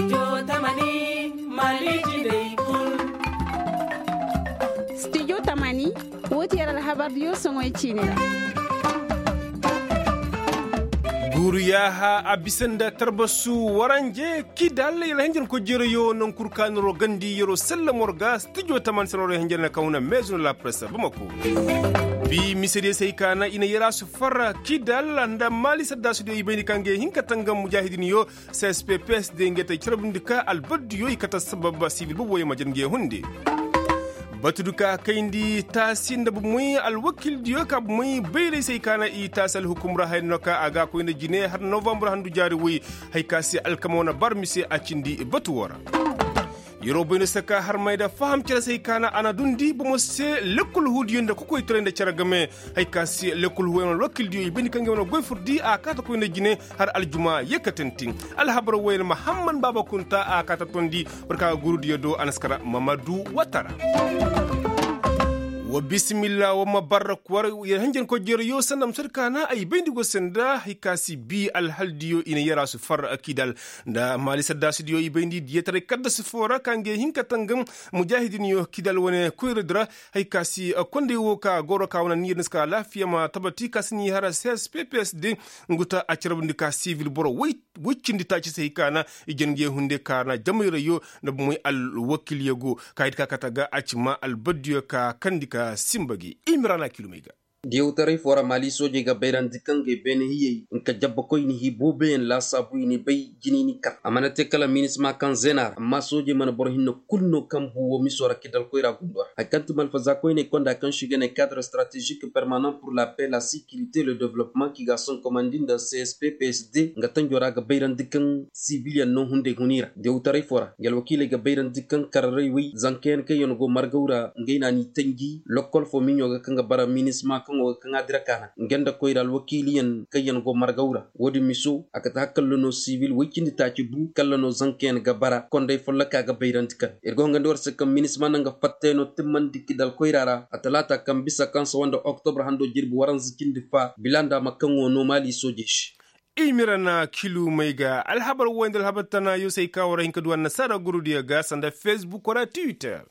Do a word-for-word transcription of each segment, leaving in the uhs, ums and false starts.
Studio tamani, woo ti yer alhabar diyo soŋoy ciini ra. Guuru yaaha a bisa nda tarbasu waranje kidal yer hinjin ko jereyo naŋ kul ka noro gandi yeroo sallamo ra ga studio tamani se noro hinjin na kaŋ huna meezu na la presse bamako. Bi mise diyo se hay ka na i na yer a su farra kidal nda maali saddaasi diyo i bayndi ka ngey hin ka tangam mujaahidin yo. Cspp se day ngey te carbundi ka albaddiyo i kate sabab sibil boobo yaŋ ma jana ngey hunde. Batu du ka kayndi taasi nda bomey alwakildiyo ka bomey bayray se hay ka na i taasi alhukum ra haya no ka a ga a koy nda jine har novambar handu jaari woy. Hay ka se alkama wane bar mise a cindi batu woo ra. Yeroo bay no se ka harmay nda faham cere se hay ka na a na dundi bomo se lekkol huudiyo nda kokoytaray nda cere game. Hay ka se lekkol huudiyo wane alwakildiyo i bayndi ka ngey wane goy fur di a kaata koy nda jine har aljuma yee ka tanti. Alhabar woy yer mahamman baaba kunta a kaata tondi. War ka ga gurudiyo do a na si kara mamadu watara. Wa bisimilla wa ma barra kwar yer hanjankoy jereyo sanda ma sodi ka na ay bayndi go sanda hay ka si bi alhaldiyo i na yer a si far kidal nda maali saddaasidiyo i bayndi diyataray kaddasi foo ra ka ngey hin ka tangam mujaahidinyo kidal wane koyradi ra. Hay ka si kondey wo ka goro ka wane niyyar ni si ka alaafiya ma tabati ka si ni har csppsd. Ngu ta a carabandi ka sivil boro woy woy cindi taaci se hay ka na i jangey hunde ka na jamayrayo nda bomoy alwakilyo go ka hay di ka kate ga a ci ma albaddiyo ka kandi ka simba gi i ma ra na kilumey ga. Diyawtaray foo ra maali soojey ga bayrandi kaŋ ga ay beene hiyey nka jabba koyni hi booboyaŋ laasaabu i ni bay jinay ni kar a mana te kala minisma kaŋ zeena ra amma soojey mana boro hinne kulu no kaŋ bu wo miso ra kidal koyra gundo ra hari kaŋ ti malfaza koyney konda kaŋ se i ga ne kadre stratezik permanent pur la paix la sécurité le developpement kaŋ i ga a sonkomandi nda csppsd nga tanjo ra ga bayrandi kaŋ sibiliyaŋ no hunday huni ra diyawtaray foo ra nga alwakiiley ga bayrandi kaŋ kararay way zankayaŋ kaŋ yaŋ go margaw ra ngey na ni tanji lokkol foo miɲo ga kaŋ ga bara minisma kaŋo ga kaŋ a dira kaana nga nda koyra alwakiiliyaŋ kaŋ yaŋ go margaw ra. Wo-din miso a kate hakalla no sibil way cindi taaci bu kalla no zankayaŋ ga bara konday folloka ga bayrandi kaŋ ir go hangandi war se kaŋ minisma naŋ ga fattay no timmandi kidal koyra ra a talaata kaŋ bisa kaŋ sawa nda oktobra hando jirbi waranza cindi fa bila nda a ma kaŋo no maali soojey se. I mira na kilumey ga alhabar woy nda alhabar tana yosey ka war hin ka du annasaara gurudiyo ga sanda fesbuk wala twitter.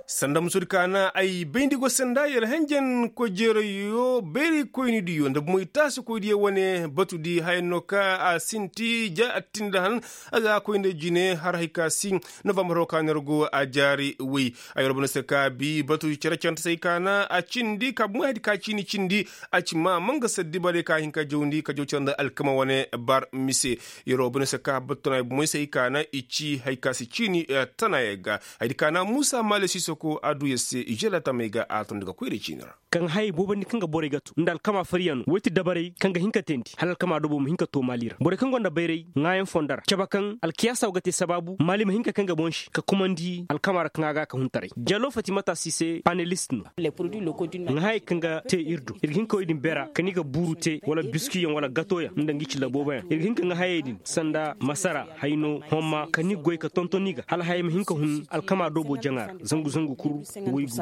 Sanda musudi ka na ay bayndi go sanda yer henjen kojeerayo bayray koynidiyo nda bomoy taasi koydiyo wane batudi haya no ka a sinti ja attindi han a ga koy nda jine har hay ka si novambar ho ka no yer go a jaari woy. Ay war bana se ka bi batudi cere cere nta se ay ka na a cindi ka bomoy hay di ka ciini cindi. A ci ma manga saddi bare ka hin ka jawndi ka jaw cere nda alkama wane bar mise. Yeroo bana se ka battu na ay bomoy se ay ka na i ci hay ka si ciini tana yer ga. Hay di ka na muusa maale sisoko a du yer se i jela tamey ga a tondi ga koyra ciini ra. Kaŋ hayey boobandi kaŋ ga borey ga tu nda alkama fariyaŋ no woy ti dabarey kaŋ ga hin ka teendi hala alkama dobo ma hin ka too maali ra borey kaŋ gonda bayray ŋaayaŋ fondo ra cabe kaŋ alkiyaasa wo ga te sabaabu maali ma hin ka kaŋ ga boŋ se ka kumandi alkama ra kaŋ a ga ka huntaray jalo fatimata si se panelist no. Ŋaahayey kaŋ ga te ir do ir ga hin ka wey din bera kaŋ i ga buuru te wala biskiyaŋ wala gatoyaŋ nda ngi ci labooboyaŋ ir ga hin ka ŋaahayey din sanda masara hayno homma ka ni goy ka tonton i ga hala hayey ma hin ka hun alkama doobo jaŋa ra zangu zangu kul. Waygu.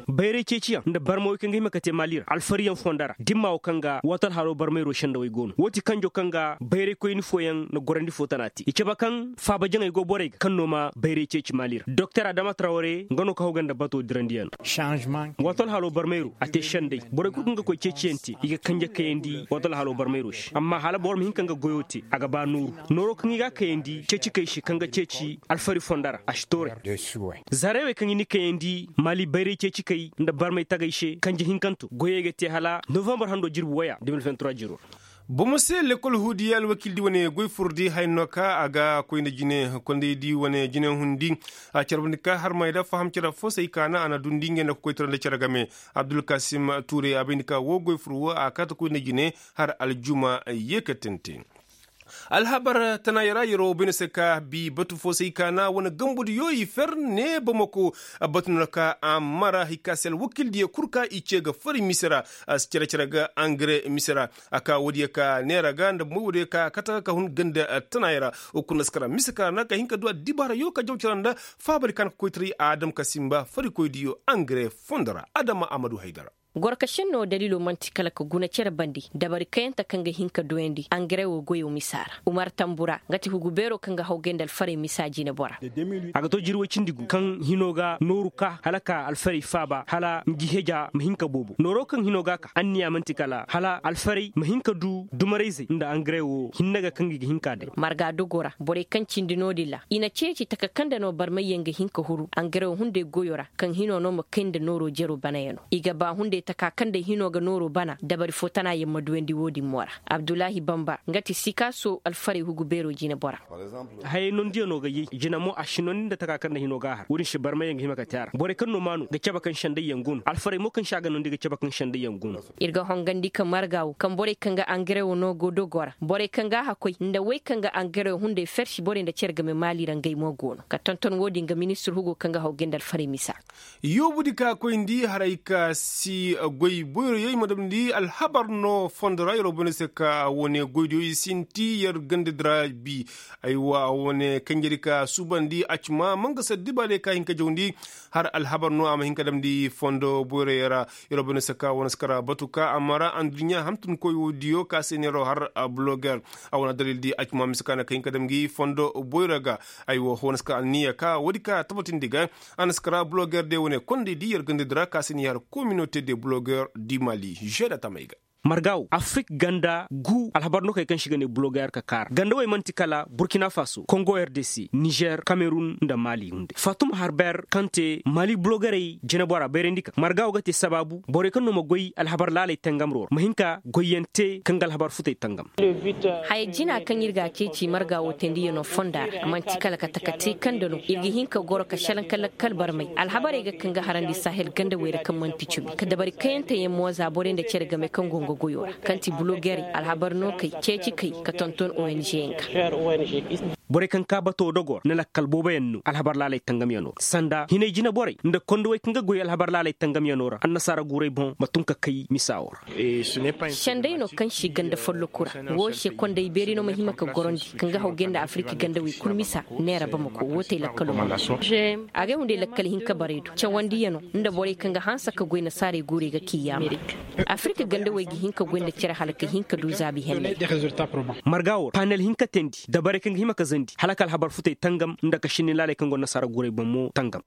Bayray ceeciyaŋ nda barmawey kaŋ ga hima ka te maali ra alfariyaŋ fonda ra dimma wo kaŋ ga waati alhalo barmayro sendawey go no wo ti kanjo kaŋ ga bayraykoyni fooyaŋ nda gorandi foo tana te i cabe kaŋ faaba jaŋey go borey ga kaŋ no ma bayray ceeci maali ra doktor adama trawre nga no ka haw ga nda bato dirandiyaŋ. Waato alhalo barmayro a te sendey borey kul kaŋ ga koy ceeciyaŋ te i ga kanje kayandi waato alhalo barmayro se amma hala boro ma hin ka nga goyo te a ga ba nooru nooro kaŋ i ga a kayandi ceecikey se kaŋ ga ceeci alfari fonda ra a si toorey. Zareewey kaŋ i na kayandi maali bayray ceecikey nda barmay tagay se kanje hinkanto goyey ga te hala novambar hando jirbi waya de mil vingt trois jiro ra. Bomo se lekkol huudiya alwakildi wane goy furdi haya no ka a ga koyna jine kondaydi wane jine hundi a carbandi ka harmay da faham care fo se ay ka na a na dundi ngey nda kokoytara nda care game. Abdulkasim tuure a bayndi ka wo goy fur wo a kaata koyna jine har aljuma ye ka tente. Alhabar tana yara yaro bayna se ka bi batu fo se ay ka na wane gambudiyo i fer ne bamako. Batu no ka a mara hay ka se alwakildiyo kul ka i ce ga fari mise ra. Cere cere ga angare mise ra. A ka woodiyo ka neera ga nda moy woodiyo ka kata ka hun ganda tana yara. Wo kul na si kara mise ka ra na ka hin ka du addibaarayo ka jaw cere nda faabari ka na ka koytaray a dam ka simba farikoydiyo angare fondo ra adama amadu haydara. Gorka šenno daliilo man'ti kala ka guna cere bandi dabari kayante kaŋ ga hin ka duyandi angarewo goyo misa ra. Umar tambura nga ti hugu beero kaŋ ga hawgay nda alfarey misa jinebora. A ga to jirwey cindi gu kaŋ hino ga nooru ka hala ka alfarey faaba hala ngi heja ma hin ka boobo nooro kaŋ hino ga a ka anniya man'ti kala hala alfarey ma hin ka du dumarayzey nda angarewo hinne ga kaŋ gi ga hin ka day. Marga dogo ra borey kaŋ cindi no-din ra i na ceeci taka kaŋ nda no barmayyaŋ ga hin ka huru angarewo hunday goyo ra kaŋ hino no ma kay nda nooro jero banayano i ga ba hunday taka kaŋ nda hino ga nooro bana dabari fo tana yaŋ ma duyandi wo-din mo ra. Abdullahi bamba nga ti sikaaso alfarey hugu beero jinebora. Hayey nondiyaŋo ga yay jina mo a si nondi nda taka kaŋ nda hino ga a har wo-din se barmayyaŋ ga hima ka te a ra borey kaŋ no maanu ga cabe kaŋ sendayyaŋ go no alfarey mo kaŋ se a ga nondi ga cabe kaŋ sendayyaŋ go no. Ir ga hongandi ka marga wo kaŋ borey kaŋ ga angare wo no go dogo ra borey kaŋ ga a hakoy nda wey kaŋ ga angare wo hunday fersi borey nda cere game maali ra ngey mo go no ka tonton wo-din ga ministir hugo kaŋ ga hawgay nda alfarey misa. Yoobudi ka koyndi haray ka si goy boyroyey ma damndi alhabar no fondo ra yer wo bane se ka wane goydiyo i sinti yer gandadi ra bi. Aywa wane kanjedi ka suubandi acima mangasar dibaadiyo ka hin ka jawndi har alhabar no a ma hin ka damndi fondo boyroyey ra. Yer wo bane se ka wane si kara batu ka a mara anduɲɲa hantunkoy wo diyo ka se neero har buloger. A wane adalildi acima mise ka na ka hin ka dam ngi fondo boyro ga. Aywa wane si ka anniya ka woodi ka tabatindi ga. A na si kara buloger de wane kondaydi yer gandadi ra ka se ni har kominote de buloger di mali žeda tamey ga. Marga wo afrik ganda gu alhabar no kay kaŋ si ga ne buloger ka kaara ganda wey man'ti kala burkina faso kongo rdc nizer kamerun nda mali hunday fatuma harber kaŋ te mali bulogerey jinebora bayrandi kaŋ marga wo ga te sabaabu borey kaŋ no ma goy alhabar laaley tangamro ra ma hin ka goyyaŋ te kaŋ ga alhabar futey tangam. Haya jina kaŋ ir ga a ceeci marga wo teendiyaŋo fonda ra a man'ti kala ka taka te kaŋ nda no ir ga hin ka goro ka šelaŋ ka lakkal barmay alhabarey ga kaŋ ga harandi sahel gandawey ra kaŋ man'ti cumi ka dabari kayanteyaŋ mo za borey nda cere game kaŋ go nga goyo ra kaŋ ti bulogerey alhabar no kay ceeci kay ka tonton ong yaŋ ga. Borey kaŋ ka bato dogo ra na lakkal booboyaŋ no alhabar laaley tangamyaŋo ra sanda hinay jina borey nda kondowey kaŋ ga goy alhabar laaley tangamyaŋo ra annasaara guuray boŋ ma tun ka kay misa wo ra. Senday no kaŋ si ganda folloku ra wo se konday beeri no ma hima ka gorandi kaŋ ga hawgay nda afirika gandawey kul misa neera bamako wo te lakkalo ma. Agay hunday lakkal hinka barey do cawandiyano nda borey kaŋ ga hanse ka goy nasaarey guurey ga kiiyaama. Afirika gandawey ga hin ka goy nda cere hala ka hin ka du zaabi henney. Marga wo ra panel hinka teendi dabarey kaŋ ga hima ka zandi hala ka alhabar futey tangam nda ka sinni laaley kaŋ go nasaara guurey boŋ mo tangam.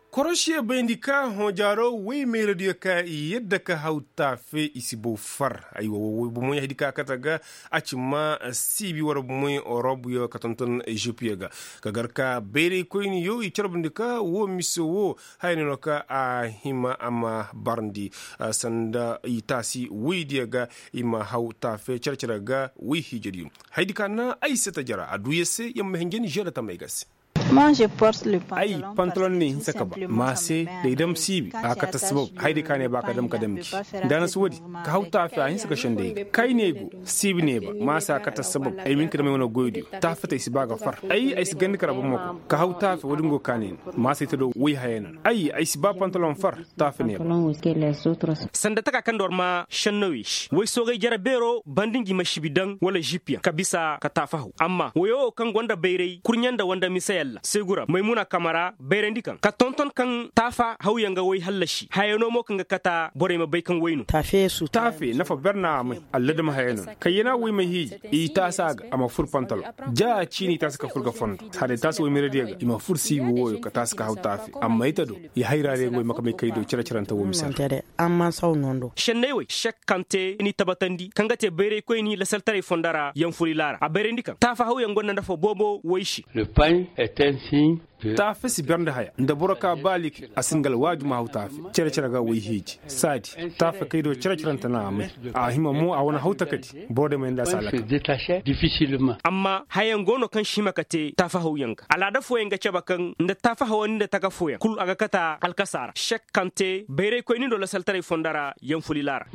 Korosiye bayndi ka hõ jaaro woy mayradiyo ka i yadda ka haw taafe i si bow far. Aywa wo bomoy haydi ka kate ga a ci ma siibi wara bomoy orobuyo ka tonton ezipiyo ga ka gar ka bayraykoyniyo i carbundi ka wo mise wo haya no no ka a hima a ma barndi sanda i taasi woydiyo ga i ma haw taafe care-care ga woy hiijadiyo. Haydi ka na ay se ta jara a duu yer se yer ma hinja ni žeeda tamey ga se. Ay pantalon ne hinsa ka ba ma se da ay dam siibi a kate assabab haydi ka ne ba ka dam ka dam gi. Da na si woodi ka haw taafe a hinsa ka sendey ga kay ne go siibi ne ba ma se a kate assabab ay ma hin ka dam ay wane goydiyo taafe te ay si ba ga far ay ay si gandi kara bamako ka haw taafe woodi nga go ka ne no ma se ay ta do woy haya no no ay ay si ba pantalon far. Taafe ne ba. Sanda taka kaŋ nda war ma šennawey se woy soogay jere beero banda ngi ma sibi daŋ wala žip yaŋ ka bisa ka taafe haw amma woyo wo kaŋ gonda bayray kurɲe nda wanda mise yalla seegu ra maymuna kamara bayrandi kaŋ ka tonton kaŋ taafe hawyaŋ ga woy hallasi hayano mo kaŋ ga kata borey ma bay kaŋ woy no. Taafe nafa ber na a may alladama haya no no kayyana woy ma hiiji i taasi a ga a ma fur pantalon ja ciini i taasi ka fur ga fondo hala i taasi woy mayradiyo ga i ma fur siibi woyo ka taasi ka haw taafe amma ay ta do i hayra ra yaŋ go i ma ka may kay do cere-cerante wo mise ra. Senney wey sek kaŋ te ni tabatandi kaŋ ga te bayraykoyni lasaltaray fondo ra yaŋ furilaara a bayrandi kaŋ taafa hawyaŋ gonda nafa boobo woy se. Taafe si ber nda haya nda boro ka ba like a si nga alwaaju ma haw taafe cere-cere ga woy hiiji saadi taafe kay do cere-cerante na a may a hima mo a wane haw takadi boro day ma yanda a si a lakal. Amma hayaŋ go no kaŋ si hima ka te taafa hawyaŋ ga alaada fooyaŋ ga cabe kaŋ nda taafa hawandi nda taka fooyaŋ kul a ga kate alkasa ra sek kaŋ te bayraykoyni do lasaltaray fondo ra yaŋ fulila ra.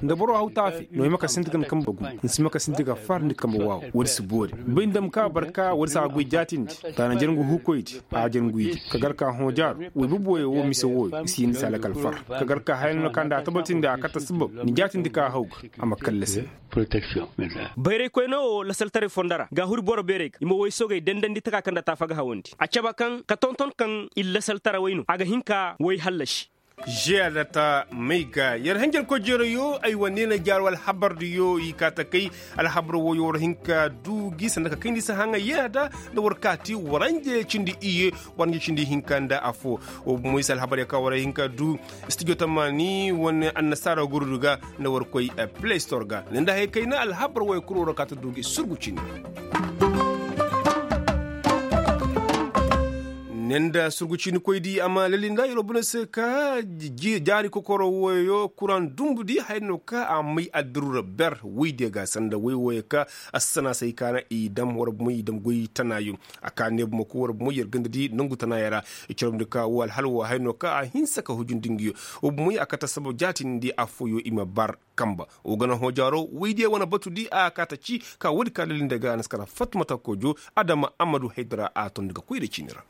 Nda boro haw taafe no ay ma ka sinti ga ni kambe gu ni si ma ka sinti ga far ni kambe waaw woodi si boori bay ni dam ka barka woodi si a ga goy jaatindi. Taana Yer nga huukoydi, a jar nguy di ka gar ka hõ jaaru. Woy bubu woyoo woo mise wooyo i si hin di si a lakal far ka gar ka haya no na ka nda a tabatindi a kate sabab ni jaatindi ka a haw ga a ma kallase. Bayraykoy no woo lasaltaray fondo ra ga a huri boro beerey ga i ma woy sogey dandandi taka kaŋ nda taafa ga hawandi a cabe kaŋ ka tonton kaŋ i lasaltarawey no a ga hin ka woy hallasi. Žeya da ta may ga yer hanjarkoy jeerayo ay wane na jaaru alhabardiyo i ka ta kay. Alhabar woyo war hin ka du gi sanda ka kayndi si haŋa yeena da nda war kaati waranje cindi iye. Waranje cindi hinka nda afo. Wo bumo i si alhabar ya ka war hin ka du studio tamani wane annasaara gurdu ga nda war koy play store ga ninda hay kayna alhabar woyo kul war kaati du gi surgu cindi. Ne nda surgu ciini koy di a ma lali nda yeroo bune se ka jaari kokoro woyo kuraŋ dumbu di haya no ka a may addiru ra ber woy diya ga sanda woy woyo ka assana se ay kaana i dam war bumey i dam goy tanaayo. A ka ne bumo koy war bumey yer ganda di nangu tanaaya ra. I carabndi ka wo alhala wo haya no ka a hinsa ka hujundi nguyo. Wo bumey a kate sabab jaatindi afooyo i ma bar kamba. Wo gana hõ jaaro woy diya wane batu di a ka ta ci ka woodi ka lali nda ga a na si kara fatmata kojo adama ammadu haydara a tondi ga koy nda ciini ra.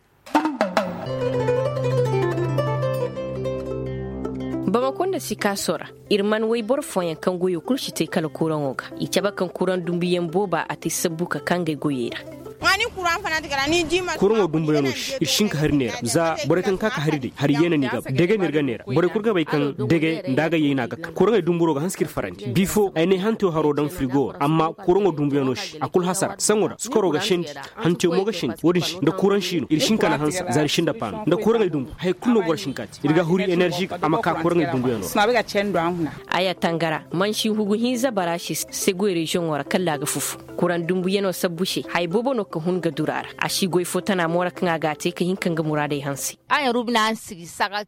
Bamako nda sikaaso ra ir man woy boro fooyaŋ kaŋ goyo kul si te kala kuraŋo ga i cabe kaŋ kuraŋ dumbuyaŋ booba a te sabbu ka kaŋ gay goyey ra. Kuraŋo dumbuyaŋo se ir si hin ka hari neera za borey kaŋ ka ka hari day hari yeena no i ga ba dege no ir ga neera borey kul ga bay kaŋ dege nda a ga yay no a ga ka kuraŋey dumburo ga hanse ka ir farandi bifo ay ne hantew haro daŋ firigo ra amma kuraŋo dumbuyaŋo se a kul hasara saŋo ra sukaro ga sendi hantew mo ga sendi wo-din se nda kuraŋ si no ir si hin ka na hanse za ir si nda paano nda kuraŋey dumbu haya kul no boro si hin ka te ir ga huri enerži ga a ma ka kuraŋey dumbuyaŋo ra. Aya tangara mansi hugu hinza bara se segu reziyoŋo ra kalla a ga fufu kuraŋ dumbuyaŋo sabbu se haya boobo no ka hun ga duru a ra a si goy fo tana mo ra kaŋ a ga a te ka hin ka nga muraadey hanse.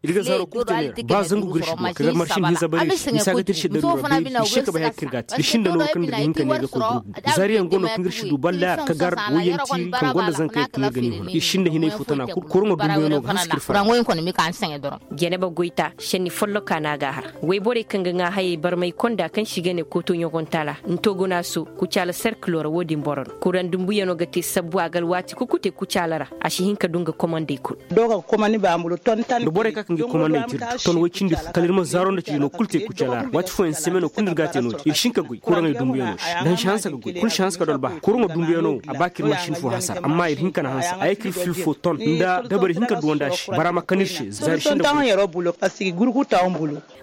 Ir ga zaaro kul te neera ba zangu ga ir si duwa ka gar marsin hinza bare ir se misa ga te ir si da noora beeri ir se ka bay haya kaŋ ir ga a te ir si nda noora kaŋ ir ga hin ka ne ga koy gurubu zaariyaŋ go no kaŋ ir si du balla ka gar woyyaŋ tiiri kaŋ gonda zankayaŋ kaŋ ir ga ni huna ir si nda hinay fo tana kul kuraŋo dumbuyaŋo ga hanse ka ir fara. Janaba goyta senni folloka no a ga a har wayborey kaŋ ga ŋaa hayey barmay konda kaŋ se i ga ne kooto ɲogontaala ntogonaaso kucaala serkilo ra wo-din boro no kuraŋ dumbuyaŋo ga te sabbu a ga alwaati kukute kucaala ra a si hin ka du nga komandey kul. Nda borey ka kaŋ ga komandey te ir ga ton way cindi fo kala ir ma zaaro nda cindi no kul te kucaala ra waati fooyaŋ semeno kul no ir ga a te no-din ir si hin ka goy kuraŋey dumbuyaŋo se nda hanse hanse ga goy kul si hanse ka du albaha kuraŋo dumbuyaŋo wo a ba ka ir ma sin fo hasara amma ir hin ka na hanse a ye ka ir fil fo ton nda dabari hin ka duwandi a se bara ma kan ir se za ir sinda.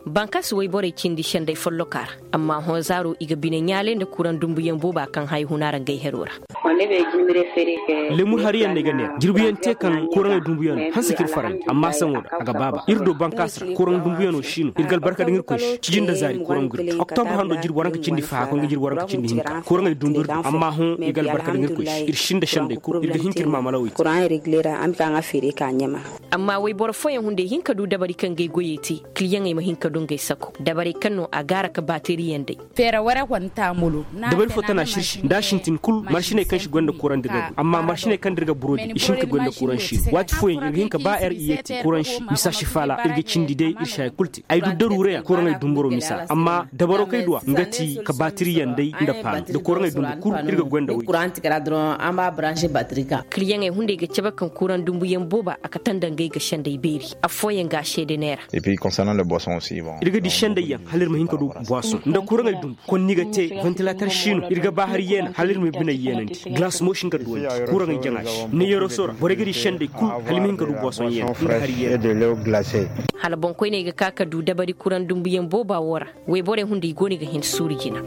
Bankas wayborey cindi senday folloka ra amma hõ zaaro i ga bine ɲaalay nda kuraŋ dumbuyaŋ booba kaŋ haya huna ra ngey hero ra. Lemur hariyaŋ no ay ga neera jirbiyaŋ te kaŋ kuraŋey dumbuyaŋ no hanse ka ir farandi amma saŋo da a ga baaba ir do bankas ra kuraŋ dumbuyaŋo si no ir ga albarka daŋ irkoy se cijin nda zaari kuraŋ gurbi oktobur hando jirbi waranka cindi faha koy nga jirbi waranka cindi hinka kuraŋey dumbu ir do amma hõ ir ga albarka daŋ irkoy se ir sinda senday kul ir ga hin ka ir maamalawey te. Amma wayboro fooyaŋ hunday hin ka du dabari kaŋ ga ay goyey te kiliyaŋey ma hin ka du ngey sako dabarey kaŋ no a gaara ka baatiriyaŋ day. Dabari fo tana sirsi nda a sintin kul marsiney kaŋ si goy nda kuraŋ da ir ga goy amma marsiney kaŋ da ir ga burodi i si hin ka goy nda kuraŋ si no waati fooyaŋ ir ga hin ka ba er iye te kuraŋ si misa si faala ir ga cindi day ir si haya kul te ay du daruureyaŋ kuraŋey dumburo misa amma dabaro kaŋ ay duw'a nga ti ka baatiriyaŋ day nda paano nda kuraŋey dumbu kul ir ga goy nda woy. Kiliyaŋey hunday ga cabe kaŋ kuraŋ dumbuyaŋ booba a kate nda ngey ga senday beeri affooyaŋ ga a seede neera. Ir ga di sendayyaŋ hala ir ma hin ka du buwasoŋ nda kuraŋey dumbu konni ga te vantilatar si no ir ga ba har yeena hala ir ma biney yeenandi galas mo si hin ka duwandi kuraŋey jaŋa se ne yeroso ra borey ga di senday kul hala ir ma hin ka du buwasoŋ yeena nda har yeena. Hala boŋkoyney ga ka ka du dabari kuraŋ dumbuyaŋ booba wo ra wayborey hunday go no i ga hin suuru jina.